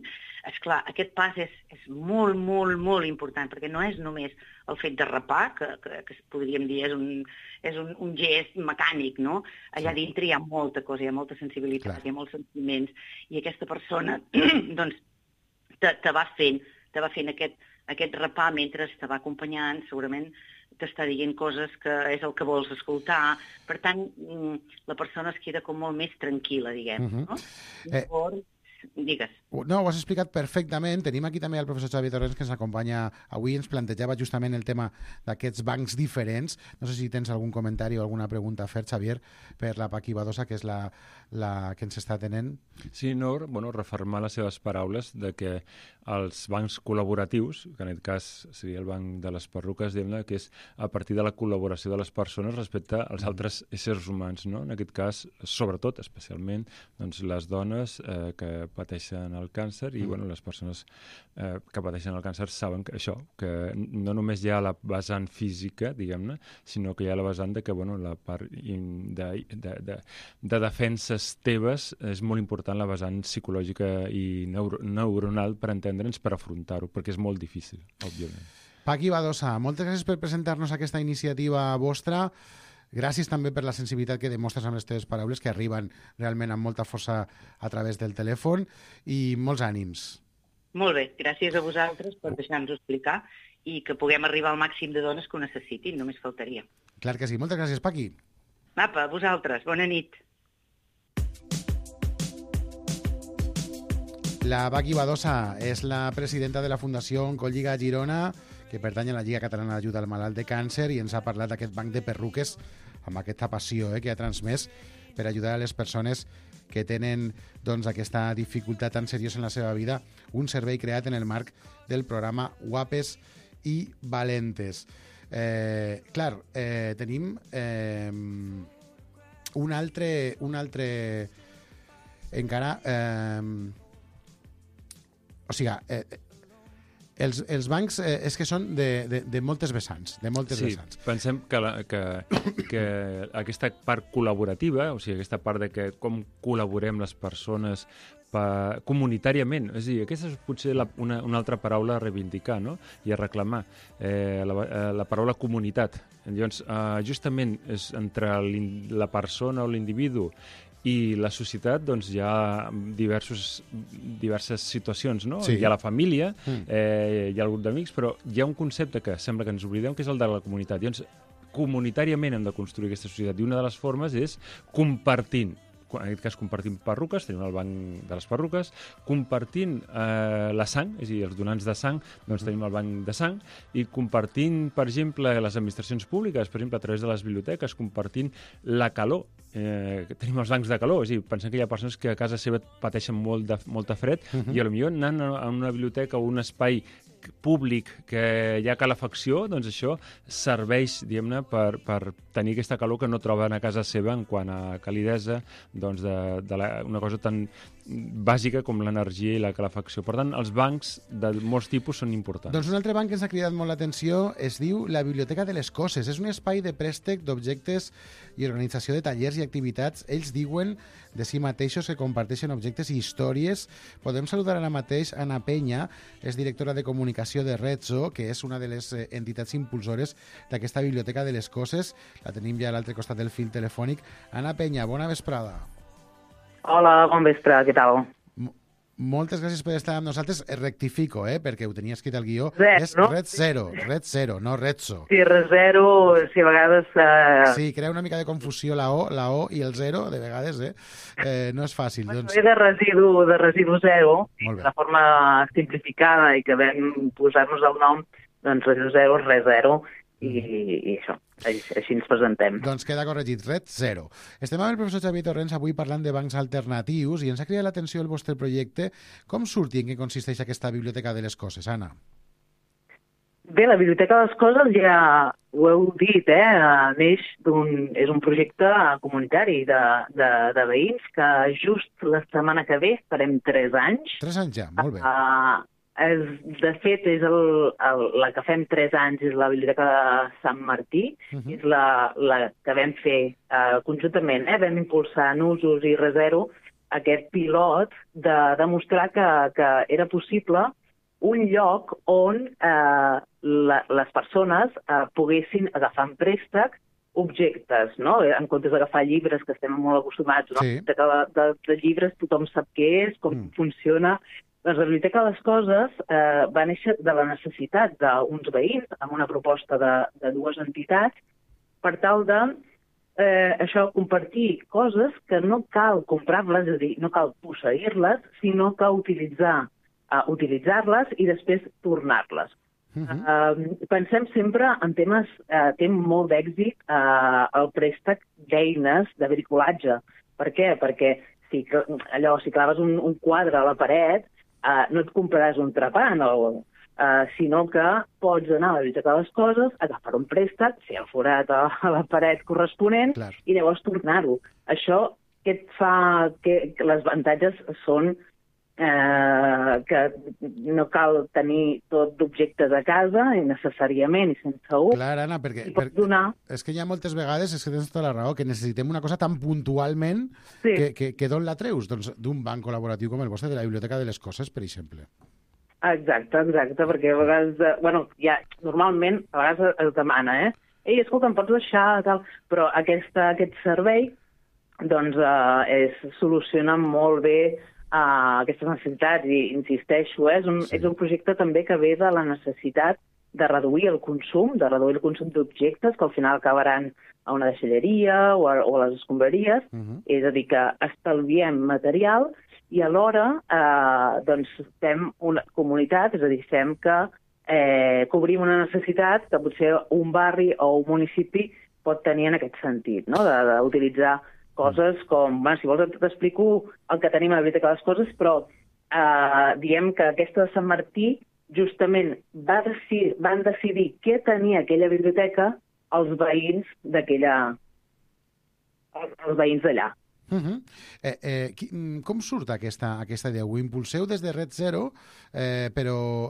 Esclar, aquest pas és molt, molt, molt important, perquè no és només el fet de rapar, que podríem dir és un gest mecànic, no? Allà dintre hi ha molta cosa, hi ha molta sensibilitat, hi ha molts sentiments, i aquesta persona, doncs, te va fent aquest rapar mentre te va acompanyant, segurament t'està dient coses que és el que vols escoltar. Per tant, la persona es queda com molt més tranquil·la, diguem. No? Llavors, digues. No, ho has explicat perfectament. Tenim aquí també el professor Xavier Torrents, que ens acompanya avui. Ens plantejava justament el tema d'aquests bancs diferents. No sé si tens algun comentari o alguna pregunta a fer, Xavier, per la Paqui Badosa, que és la que ens està tenent. Sí, no, refermar les seves paraules de que els bancs col·laboratius, que en aquest cas seria el banc de les perruques, diguem-ne, que és a partir de la col·laboració de les persones respecte als altres éssers humans, no? En aquest cas, sobretot, especialment, doncs, les dones que pateixen el càncer i les persones que pateixen el càncer saben que això, que no només hi ha la vessant física, diguem-ne, sinó que hi ha la vessant de que la part de defenses teves és molt important, la vessant psicològica i neuronal per entendre'ns, per afrontar-ho, perquè és molt difícil, òbviament. Paqui Badosa, moltes gràcies per presentar-nos aquesta iniciativa vostra. Gràcies també per la sensibilitat que demostres amb les teves paraules, que arriben realment amb molta força a través del telèfon, i molts ànims. Molt bé, gràcies a vosaltres per deixar-nos explicar i que puguem arribar al màxim de dones que ho necessitin, només faltaria. Clar que sí. Moltes gràcies, Paqui. Apa, a vosaltres. Bona nit. La Paqui Badosa és la presidenta de la Fundació Oncolliga Girona, que pertany a la Lliga Catalana d'Ajuda al Malalt de Càncer, i ens ha parlat d'aquest banc de perruques amb aquesta passió que ha transmès per ajudar a les persones que tenen aquesta dificultat tan seriosa en la seva vida, un servei creat en el marc del programa Guapes i Valentes. Tenim un altre encara... O sigui, els bancs és que són de moltes vessants, vessants. Pensem que aquesta part col·laborativa, o sigui, aquesta part de que com col·laborem les persones comunitàriament, és a dir, aquesta és potser una altra paraula a reivindicar, no? I a reclamar, la paraula comunitat. Llavors, justament és entre la persona o l'individu i la societat, doncs hi ha diverses situacions, no? Sí. Hi ha la família, hi ha el grup d'amics, però hi ha un concepte que sembla que ens oblidem, que és el de la comunitat. Llavors, comunitàriament hem de construir aquesta societat, i una de les formes és compartint. En aquest cas compartim perruques, tenim el banc de les perruques, compartint la sang, és a dir, els donants de sang, doncs tenim el banc de sang, i compartint, per exemple, les administracions públiques, per exemple, a través de les biblioteques, compartint la calor, tenim els bancs de calor, és a dir, pensem que hi ha persones que a casa seva pateixen molta fred, i potser anant a una biblioteca o un espai públic que hi ha calefacció, doncs això serveix, diguem-ne, per tenir aquesta calor que no troben a casa seva en quant a calidesa, doncs una cosa tan bàsica com l'energia i la calefacció. Per tant, els bancs de molts tipus són importants. Doncs un altre banc que ens ha cridat molt l'atenció es diu la Biblioteca de les Coses. És un espai de préstec d'objectes i organització de tallers i activitats. Ells diuen de si mateixos que comparteixen objectes i històries. Podem saludar ara mateix Anna Penya, és directora de comunicació de Rezzo, que és una de les entitats impulsores d'aquesta Biblioteca de les Coses. La tenim ja a l'altre costat del fil telefònic. Anna Penya, bona vesprada. Hola, bon vespre, què tal? Moltes gràcies per estar amb nosaltres. Rectifico, perquè ho tenia escrit al guió. És no? Red Zero, no Redso. Sí, Red Zero, si a vegades... Sí, crea una mica de confusió la O i el zero, de vegades, no és fàcil. Doncs... de residu zero, de forma simplificada i que vam posar-nos el nom, doncs residu zero, res zero, i això, així ens presentem. Doncs queda corregit, Red Zero. Estem amb el professor Xavier Torrents avui parlant de bancs alternatius i ens ha cridat l'atenció el vostre projecte. Com surt i en què consisteix aquesta Biblioteca de les Coses, Anna? Bé, la Biblioteca de les Coses, ja ho heu dit, neix és un projecte comunitari de veïns que just la setmana que ve farem 3 anys. 3 anys ja, molt bé. De fet, és la que fem 3 anys és la Biblioteca de Sant Martí, és la que vam fer conjuntament, vam impulsar en Usos i Resero aquest pilot de demostrar que era possible un lloc on les persones poguessin agafar en préstec objectes, no? En comptes d'agafar llibres, que estem molt acostumats, no? De llibres tothom sap què és, com funciona. Doncs la Biblioteca de les Coses va néixer de la necessitat d'uns veïns amb una proposta de 2 entitats per tal de compartir coses que no cal comprar-les, és a dir, no cal posseir-les, sinó que utilitzar-les i després tornar-les. Pensem sempre en temes, té molt d'èxit el préstec d'eines de bricolatge. Per què? Perquè si claves un quadre a la paret, no et compraràs un trepant, sinó que pots anar a la Biblioteca de les Coses, agafar un préstec, fer el forat a la paret corresponent i llavors tornar-ho. Això què et fa? Que les avantatges són que no cal tenir tot d'objectes a casa, necessàriament i sense ús. Clar, Anna, perquè és que hi ha moltes vegades, és que tens tota la raó, que necessitem una cosa tan puntualment que d'on la treus? Doncs d'un banc col·laboratiu com el vostre, de la Biblioteca de les Coses, per exemple. Exacte, perquè a vegades, normalment, a vegades es demana, ei, escolta, em pots deixar, tal, però aquest servei, doncs, soluciona molt bé aquestes necessitats i, insisteixo, és un projecte també que ve de la necessitat de reduir el consum, d'objectes que al final acabaran a una deixalleria o a les escombraries, és a dir, que estalviem material i alhora fem una comunitat, és a dir, fem que cobrim una necessitat que potser un barri o un municipi pot tenir en aquest sentit, no? D'utilitzar coses com, si vols t'explico el que tenim a la Biblioteca de les Coses, però diem que aquesta de Sant Martí justament van decidir què tenia aquella biblioteca els veïns d'allà. Com surt aquesta idea? Ho impulseu des de Red Zero, però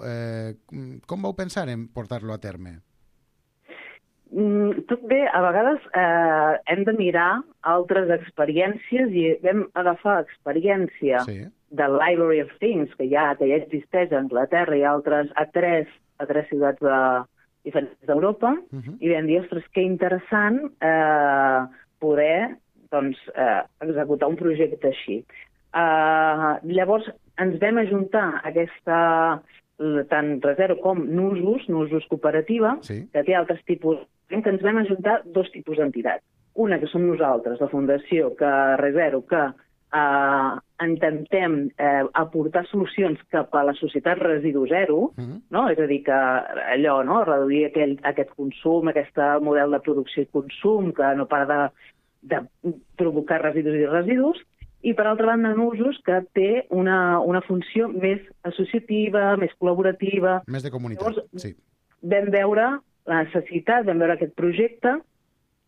com vau pensar en portar-lo a terme? Tot bé, a vegades hem de mirar altres experiències i vam agafar experiència del Library of Things, que ja existeix a Anglaterra i altres a tres ciutats diferents d'Europa, i vam dir, ostres, que interessant poder executar un projecte així. Llavors ens vam ajuntar tant Resero com Nusos Cooperativa, que té altres tipus, que ens vam ajuntar 2 tipus d'entitats. Una, que som nosaltres, la Fundació Resero, que intentem aportar solucions cap a la societat residu zero, no? És a dir, que allò, no? Reduir aquest consum, aquest model de producció i consum que no para de provocar residus, i per altra banda en Usos, que té una funció més associativa, més col·laborativa. Més de comunitat, sí. Vam veure la necessitat, vam veure aquest projecte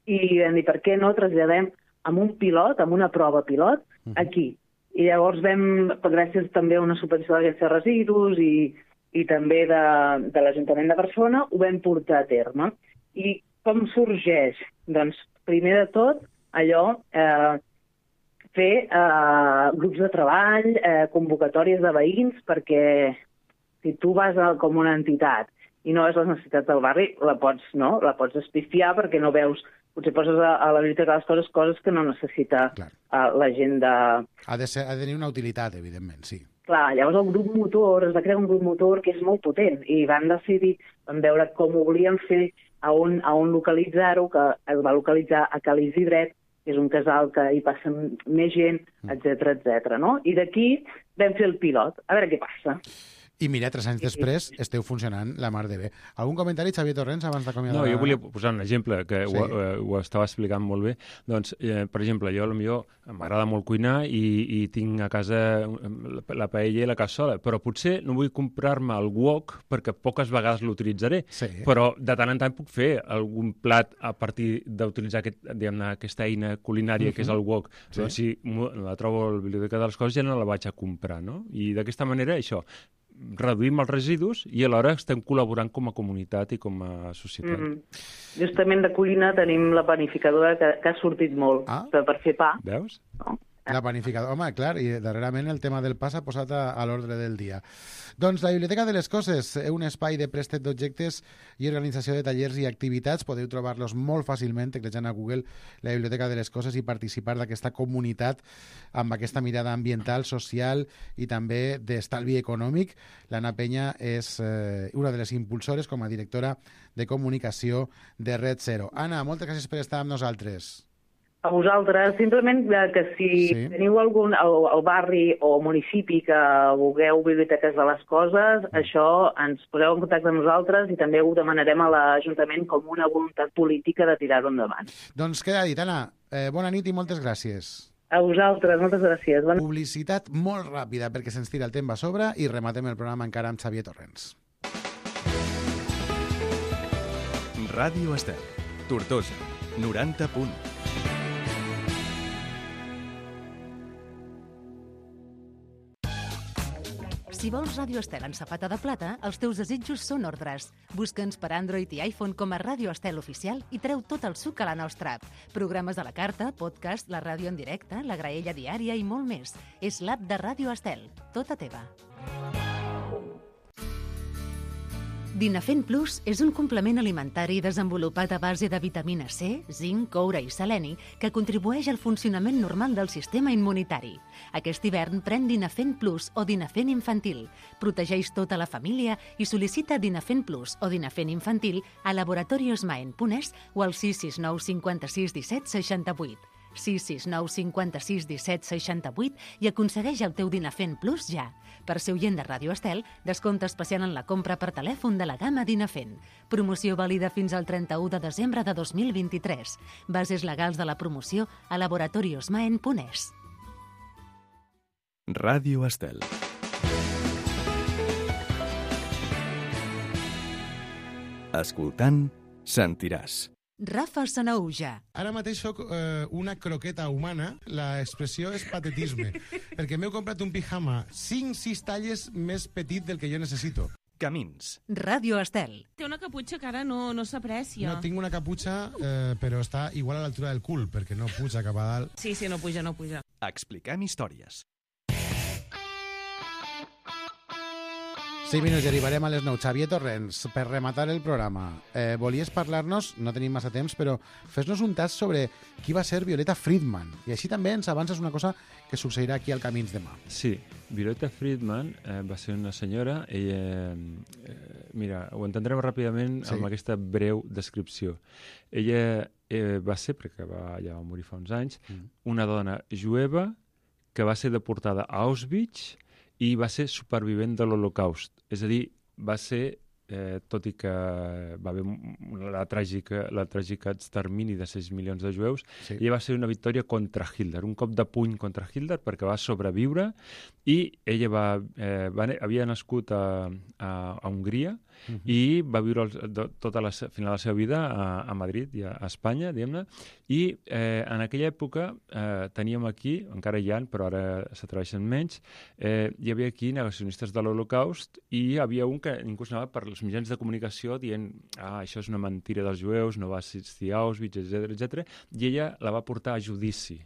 i vam dir, per què no traslladem amb un pilot, amb una prova pilot, aquí. I llavors gràcies també a una subvenció de l'Agència de Residus i també de l'Ajuntament de Barcelona, ho vam portar a terme. I com sorgeix? Doncs, primer de tot, fer grups de treball, convocatòries de veïns, perquè si tu vas com una entitat i no veus les necessitats del barri, la pots espifiar perquè no veus, potser poses a la Biblioteca de les Coses que no necessita la gent de... Ha de tenir una utilitat, evidentment, sí. Clar, llavors el grup motor, es va crear un grup motor que és molt potent i van decidir, van veure com ho volien fer, a on localitzar-ho, que es va localitzar a Cal Isidret, que és un casal que hi passa més gent, etc, no? I d'aquí vam fer el pilot, a veure què passa. I mira, 3 anys després esteu funcionant la mar de bé. Algun comentari, Xavier Torrents, abans d'acomiadar? No, jo volia posar un exemple, que sí. ho estava explicant molt bé. Doncs, per exemple, jo potser m'agrada molt cuinar i tinc a casa la paella i la cassola, però potser no vull comprar-me el wok perquè poques vegades l'utilitzaré, però de tant en tant puc fer algun plat a partir d'utilitzar aquesta eina culinària que és el wok. Doncs si la trobo a la Biblioteca de les Coses ja no la vaig a comprar, no? I d'aquesta manera, això, reduïm els residus i alhora estem col·laborant com a comunitat i com a societat. Justament de cuina tenim la panificadora que ha sortit molt per fer pa. Veus? No? La panificadora, home, clar, i darrerament el tema del pa s'ha posat a l'ordre del dia. Doncs la Biblioteca de les Coses, un espai de préstec d'objectes i organització de tallers i activitats. Podeu trobar-los molt fàcilment teclejant a Google la Biblioteca de les Coses i participar d'aquesta comunitat amb aquesta mirada ambiental, social i també d'estalvi econòmic. L'Anna Penya és una de les impulsores com a directora de comunicació de Red Zero. Anna, moltes gràcies per estar amb nosaltres. A vosaltres, simplement que si teniu algun al barri o municipi que vulgueu biblioteques de les coses, això ens poseu en contacte amb nosaltres i també ho demanarem a l'Ajuntament com una voluntat política de tirar-ho endavant. Doncs queda dit, Anna. Bona nit i moltes gràcies. A vosaltres, moltes gràcies. Publicitat molt ràpida perquè se'ns tira el temps a sobre i rematem el programa encara amb Xavier Torrents. Ràdio Estel, Tortosa, 90.1. Si vols Ràdio Estel en safata de plata, els teus desitjos són ordres. Busca'ns per Android i iPhone com a Ràdio Estel Oficial i treu tot el suc a la nostra app. Programes a la carta, podcast, la ràdio en directe, la graella diària i molt més. És l'app de Ràdio Estel, tota teva. Dinafen Plus és un complement alimentari desenvolupat a base de vitamina C, zinc, coure i seleni que contribueix al funcionament normal del sistema immunitari. Aquest hivern pren Dinafen Plus o Dinafen Infantil. Protegeix tota la família i sol·licita Dinafen Plus o Dinafen Infantil a laboratoriosmaen.es o al 669 56 17 68. 669 56 17 68 i aconsegueix el teu Dinafen Plus ja. Per ser oient de Ràdio Estel, descompte especial en la compra per telèfon de la gamma Dinafen. Promoció vàlida fins al 31 de desembre de 2023. Bases legals de la promoció a laboratoriosmaen.es. Ràdio Estel. Escoltant, sentiràs. Rafa Sanauja. Ara mateix soc una croqueta humana, l'expressió és patetisme, perquè m'heu comprat un pijama 5-6 talles més petit del que jo necessito. Camins. Ràdio Estel. Té una caputxa que ara no s'aprecia. No, tinc una caputxa, però està igual a l'altura del cul, perquè no puja cap a dalt. Sí, no puja. Expliquem històries. 6 minuts i arribarem a les 9. Xavier Torrents, per rematar el programa, volies parlar-nos, no tenim massa temps, però fes-nos un tast sobre qui va ser Violeta Friedman. I així també ens avances una cosa que succeirà aquí al Camins demà. Sí, Violeta Friedman va ser una senyora, ella, mira, ho entendrem ràpidament amb aquesta breu descripció. Ella va ser, perquè ja va morir fa uns anys, una dona jueva que va ser deportada a Auschwitz i va ser supervivent de l'Holocaust. És a dir, va ser, tot i que va haver la tràgica extermini de 6 milions de jueus, ella va ser una victòria contra Hitler, un cop de puny contra Hitler perquè va sobreviure i ella havia nascut a Hongria i va viure tota la final de la seva vida a Madrid i a Espanya, diguem-ne, i en aquella època teníem aquí, encara hi ha, però ara s'atreveixen menys, hi havia aquí negacionistes de l'Holocaust i hi havia un que inclús anava per els mitjans de comunicació dient això és una mentira dels jueus, no va assistir a Auschwitz, etc. I ella la va portar a judici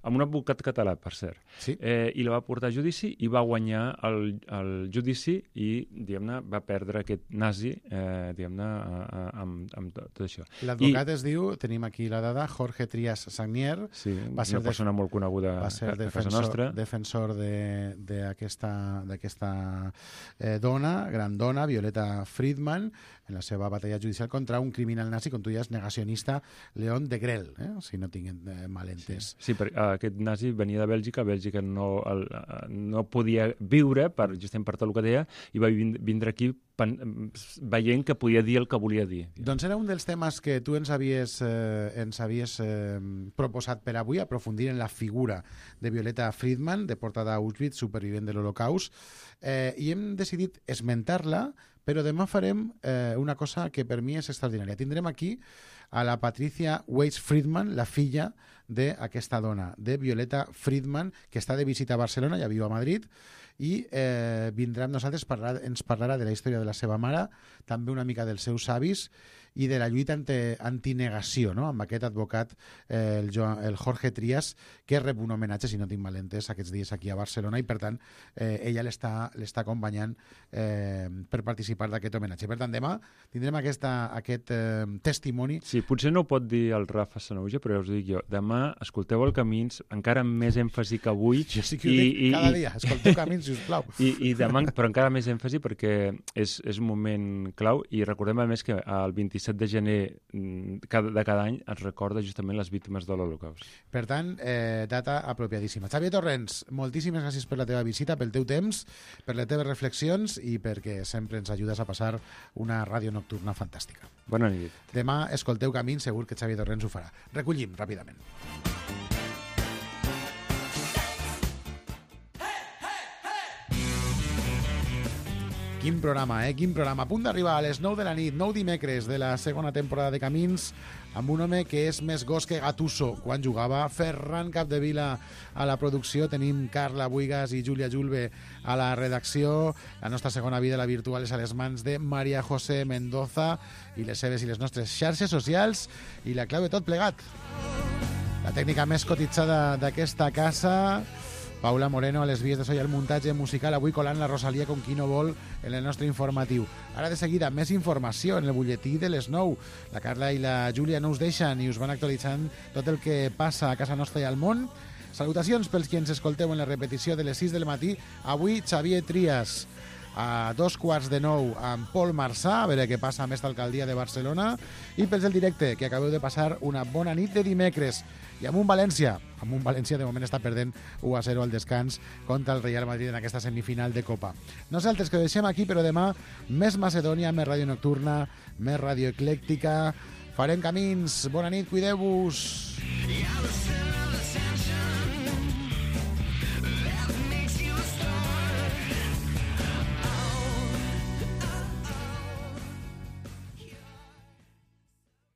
amb un advocat català, per cert. Sí. I la va portar a judici i va guanyar el judici i, diguem-ne, va perdre aquest nazi, diguem-ne, amb tot això. L'advocat es diu, tenim aquí la dada, Jorge Trias Sagnier. Sí, una persona molt coneguda a casa nostra. Defensor d'aquesta dona, gran dona, Violeta Friedman, en la seva batalla judicial contra un criminal nazi, com tu deies, negacionista, Leon Degrelle, si no tinc mal entès. Sí, perquè aquest nazi venia de Bèlgica, Bèlgica no podia viure justament per tot el que deia, i va vindre aquí veient que podia dir el que volia dir. Doncs era un dels temes que tu ens havies proposat per avui, aprofundir en la figura de Violeta Friedman, deportada a Auschwitz, supervivent de l'Holocaust, i hem decidit esmentar-la, però demà farem una cosa que per mi és extraordinària. Tindrem aquí a la Patricia Weiss Friedman, la filla d'aquesta dona, de Violeta Friedman, que està de visita a Barcelona, ja viu a Madrid, i vindrà amb nosaltres, ens parlarà de la història de la seva mare, també una mica dels seus avis, i de la lluita antinegació, no? Amb aquest advocat, el Jorge Trias, que rep un homenatge, si no tinc mal entès, aquests dies aquí a Barcelona, i per tant ella l'està acompanyant per participar d'aquest homenatge. Per tant, demà tindrem aquest testimoni. Sí, potser no ho pot dir el Rafa Sanahuja, però ja us dic jo, demà escolteu el Camins, encara amb més èmfasi que avui. Jo sí que ho dic cada dia, escolteu Camins, sisplau. I demà, però encara més èmfasi perquè és un moment clau, i recordem a més que el 27 de gener de cada any es recorda justament les víctimes de l'Holocaust. Per tant, data apropiadíssima. Xavier Torrents, moltíssimes gràcies per la teva visita, pel teu temps, per les teves reflexions i perquè sempre ens ajudes a passar una ràdio nocturna fantàstica. Bona nit. Demà escolteu Camins, segur que Xavier Torrents ho farà. Recollim ràpidament. Quin programa, Quin programa. A punt d'arribar a les 9 de la nit, 9 dimecres de la segona temporada de Camins, amb un home que és més gos que Gattuso. Quan jugava Ferran Capdevila a la producció, tenim Carla Buigas i Júlia Julve a la redacció. La nostra segona vida, la virtual, és a les mans de Maria José Mendoza i les seves i les nostres xarxes socials i la clau de tot plegat. La tècnica més cotitzada d'aquesta casa, Paula Moreno, a les vies de so i el muntatge musical, avui colant la Rosalia com qui no vol en el nostre informatiu. Ara de seguida, més informació en el butlletí de les 9. La Carla i la Júlia no us deixen i us van actualitzant tot el que passa a casa nostra i al món. Salutacions pels qui ens escolteu en la repetició de les 6 del matí. Avui, Xavier Trias, a 2:15 amb Pol Marçà, a veure què passa amb esta alcaldia de Barcelona, i pels del directe, que acabeu de passar una bona nit de dimecres. I amb un València de moment està perdent 1-0 al descans contra el Real Madrid en aquesta semifinal de Copa. Nosaltres que ho deixem aquí, però demà més Macedònia, més ràdio nocturna, més ràdio eclèctica. Farem Camins. Bona nit, cuideu-vos.